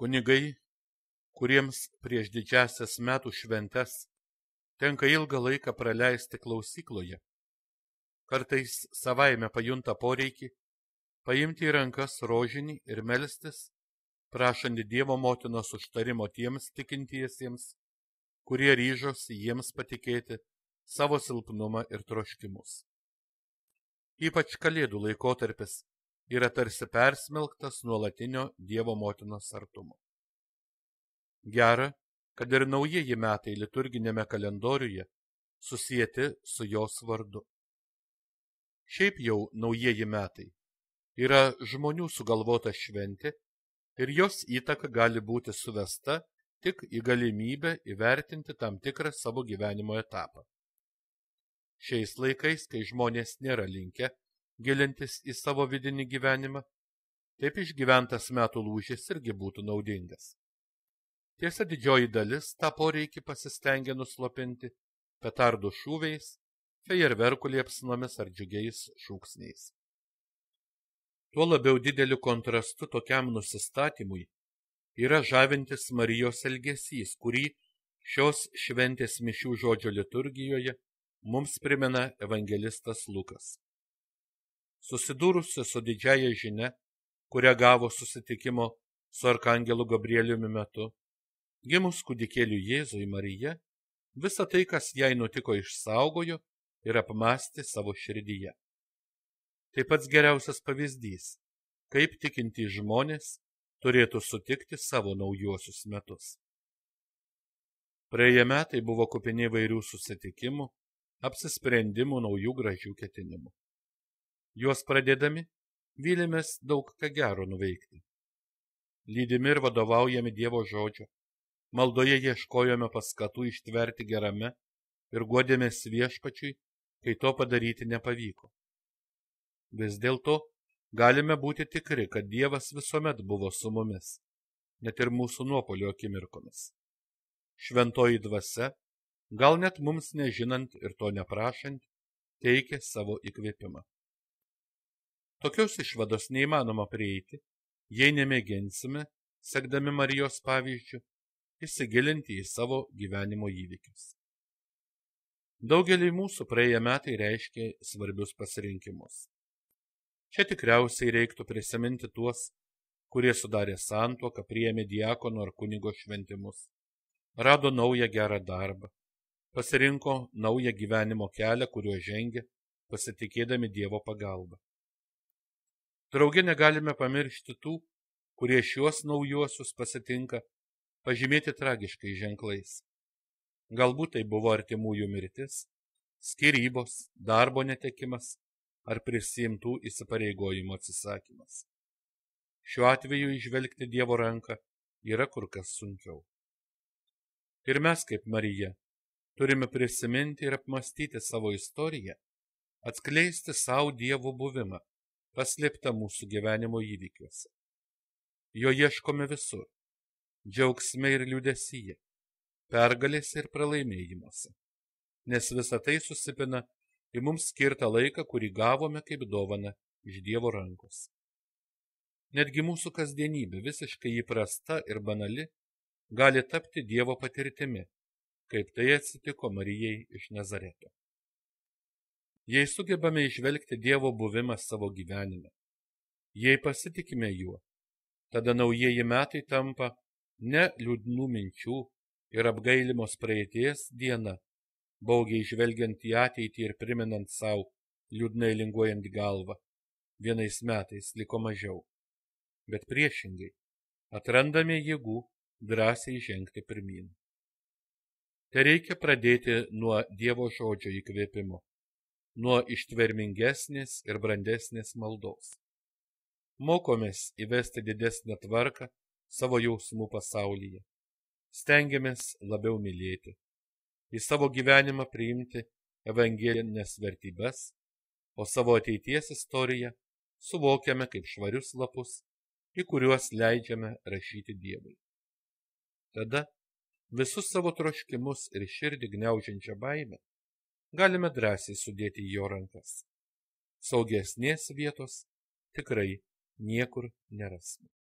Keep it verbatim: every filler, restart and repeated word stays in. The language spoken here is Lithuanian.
Kunigai, kuriems prieš didžiąsias metų šventes tenka ilgą laiką praleisti klausykloje, kartais savaime pajunta poreikį paimti į rankas rožinį ir melstis, prašant Dievo motinos užtarimo tiems tikintiesiems, kurie ryžosi jiems patikėti savo silpnumą ir troškimus. Ypač Kalėdų laikotarpis yra tarsi persmelktas nuolatinio Dievo motinos artumo. Gera, kad ir naujieji metai liturginėme kalendoriuje susieti su jos vardu. Šiaip jau naujieji metai yra žmonių sugalvota šventė ir jos įtaka gali būti suvesta tik į galimybę įvertinti tam tikrą savo gyvenimo etapą. Šiais laikais, kai žmonės nėra linkę gilintis į savo vidinį gyvenimą, taip išgyventas metų lūžis irgi būtų naudingas. Tiesa, didžioji dalis tą poreikį pasistengia nuslopinti petardų šūviais, fejerverkų liepsnomis ar džiugiais šūksniais. Tuo labiau dideliu kontrastu tokiam nusistatymui yra žavintis Marijos elgesys, kurį šios šventės mišių žodžio liturgijoje mums primena evangelistas Lukas. Susidūrusi su didžiaja žinia, kurią gavo susitikimo su arkangelu Gabrieliumi metu, gimus kūdikėliui Jėzui Marija, visą tai, kas jai nutiko, išsaugojo ir apmąstė savo širdyje. Tai pats geriausias pavyzdys, kaip tikintys žmonės turėtų sutikti savo naujuosius metus. Praėję metai buvo kupini įvairių susitikimų, apsisprendimų, naujų gražių ketinimų. Juos pradėdami, vylimės daug ką gero nuveikti. Lydimi ir vadovaujami Dievo žodžio, maldoje ieškojome paskatų ištverti gerame ir guodėmės Viešpačiui, kai to padaryti nepavyko. Vis dėlto galime būti tikri, kad Dievas visuomet buvo su mumis, net ir mūsų nuopuolio akimirkomis. Šventoji dvasia, gal net mums nežinant ir to neprašant, teikia savo įkvėpimą. Tokios išvados neįmanoma prieiti, jei nemėginsime, sekdami Marijos pavyzdžiu, įsigilinti į savo gyvenimo įvykius. Daugeliui mūsų praėję metai reiškia svarbius pasirinkimus. Čia tikriausiai reiktų prisiminti tuos, kurie sudarė santuoką, priėmė diakono ar kunigo šventimus, rado naują gerą darbą, pasirinko naują gyvenimo kelią, kuriuo žengė, pasitikėdami Dievo pagalbą. Drauge negalime pamiršti tų, kurie šiuos naujuosius pasitinka pažymėti tragiškais ženklais. Galbūt tai buvo artimųjų mirtis, skyrybos, darbo netekimas ar prisiimtų įsipareigojimų atsisakymas. Šiuo atveju įžvelgti Dievo ranką yra kur kas sunkiau. Ir mes, kaip Marija, turime prisiminti ir apmastyti savo istoriją, atskleisti savo Dievo buvimą, paslėptą mūsų gyvenimo įvykiuose. Jo ieškome visur, džiaugsme ir liūdesyje, pergalėse ir pralaimėjimuose, nes visa tai susipina į mums skirtą laiką, kurį gavome kaip dovaną iš Dievo rankos. Netgi mūsų kasdienybė, visiškai įprasta ir banali, gali tapti Dievo patirtimi, kaip tai atsitiko Marijai iš Nazareto. Jei sugebame įžvelgti Dievo buvimą savo gyvenime, jei pasitikime juo, tada naujieji metai tampa ne liūdnų minčių ir apgailimos praeities diena, baugiai žvelgiant į ateitį ir priminant savo liūdnai linguojant galvą, vienais metais liko mažiau, bet priešingai atrandame jėgų drąsiai žengti pirmyn. Tai reikia pradėti nuo Dievo žodžio įkvėpimo, nuo ištvermingesnės ir brandesnės maldos. Mokomės įvesti didesnę tvarką savo jausmų pasaulyje. Stengiamės labiau mylėti, į savo gyvenimą priimti evangelinės vertybes, o savo ateities istoriją suvokiame kaip švarius lapus, į kuriuos leidžiame rašyti Dievui. Tada visus savo troškimus ir širdį gniaužiančią baimę galime drąsiai sudėti į jo rankas. Saugesnės vietos tikrai niekur nerasime.